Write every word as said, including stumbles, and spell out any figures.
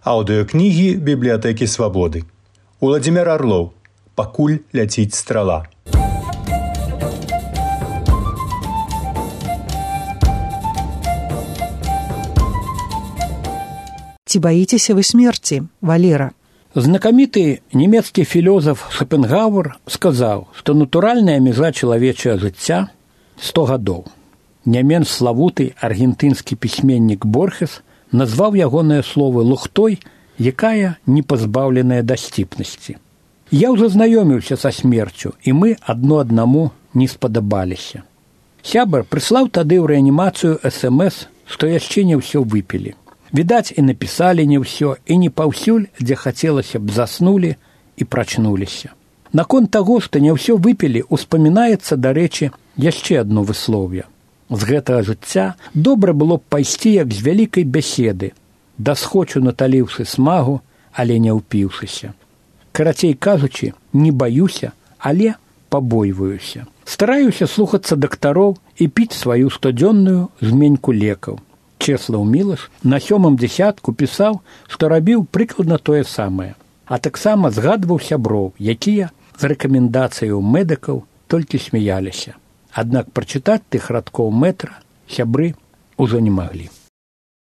Аўдыёкнігі бібліятэкі Свабоды. Уладзімір Арлоў. Пакуль ляціць страла. Ці баіцеся вы смерці, Валера? Знакаміты нямецкі філёзаф Шопенгауэр сказаў, што натуральная мяжа чалавечага жыцця сто гадоў. Не менш славуты аргентынскі пісьменнік Борхес назваў ягоныя словы лухтой, якая не пазбаўленая дасціпнасці. Я ўжо знаёміўся са смерцю, і мы адно аднаму не спадабаліся. Сябар прыслаў тады ў рэанімацыю эс эм эс, што яшчэ не ўсё выпілі. Відаць, і напісалі не ўсё, і не паўсюль, дзе хацелася б, заснулі і прачнуліся. Наконт таго, што не ўсё выпілі, успамінаецца, дарэчы, яшчэ адно выслоўе. З гэтага жыцця добра было б пайсці, як з вялікай бяседы, дасхочу наталіўшы смагу, але не ўпіўшыся. Карацей кажучы, не баюся, але пабойваюся. Стараюся слухацца дактароў і піць сваю штодзённую зменьку лекаў. Чеслаў Мілаш на сёмым дзясятку пісаў, што рабіў прыкладна тое самае, а таксама згадваў сяброў, якія з рэкамендацыяў медыкаў толькі смяяліся. Аднак прачытаць тых радкоў метра сябры ўжо не маглі.